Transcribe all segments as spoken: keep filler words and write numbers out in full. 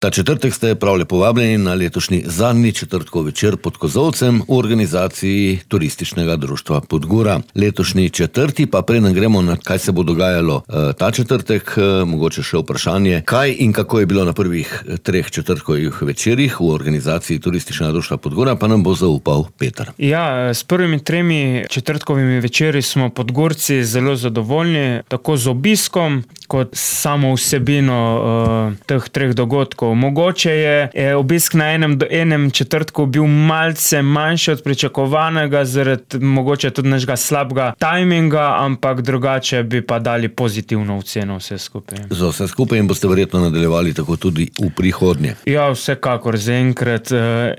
Ta četrtek ste prav lepo vabljeni na letošnji zadnji četrtkov večer pod kozolcem v organizaciji Turističnega društva Podgora. Letošnji četrti, pa preden gremo na kaj se bo dogajalo ta četrtek, mogoče še vprašanje, kaj in kako je bilo na prvih treh četrtkovih večerih v organizaciji Turističnega društva Podgora, pa nam bo zaupal Peter. Ja, s prvimi tremi četrtkovimi večeri smo Podgorci zelo zadovoljni, tako z obiskom kot samo vsebino uh, teh treh dogodkov. Mogoče je, je obisk na enem, enem četrtku bil malce manjši od pričakovanega, zaradi mogoče tudi našega slabega tajminga, ampak drugače bi pa dali pozitivno oceno vse skupaj. Za vse skupaj in boste verjetno nadaljevali tako tudi v prihodnje. Ja, vsekakor zaenkrat.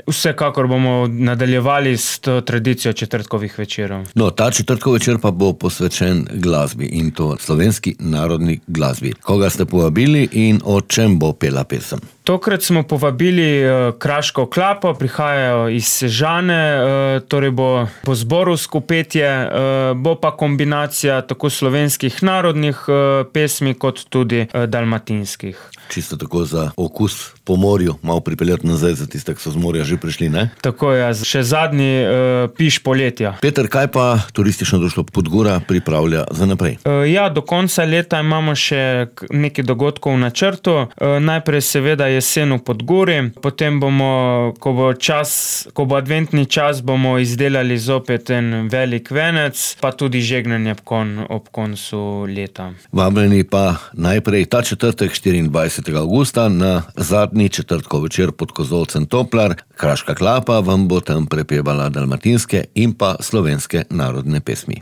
Vsekakor bomo nadaljevali s to tradicijo četrtkovih večerov. No, ta četrtkov večer pa bo posvečen glasbi, in to slovenski narodni glasbi. Koga ste povabili in o čem bo pela pesem? Tokrat smo povabili uh, Kraško klapo, prihajajo iz Sežane, uh, torej bo, bo zborovsko petje, uh, bo pa kombinacija tako slovenskih narodnih uh, pesmi, kot tudi uh, dalmatinskih. Čisto tako za okus po morju, malo pripeljati nazaj za tiste, ki so z morja že prišli, ne? Tako je, še zadnji uh, piš poletja. Peter, kaj pa Turistično društvo Podgora pripravlja za naprej? Uh, ja, do konca leta imamo še nekaj dogodkov v načrtu. Uh, najprej seveda jesen v Podgori, potem bomo, ko bo čas, ko bo adventni čas, bomo izdelali zopet en velik venec, pa tudi žegnanje ob, kon, ob koncu leta. Vabljeni pa najprej ta četrtek štiriindvajsetega avgusta na zadnji četrtkov večer pod kozolcem Toplar. Kraška klapa vam bo tam prepevala dalmatinske in pa slovenske narodne pesmi.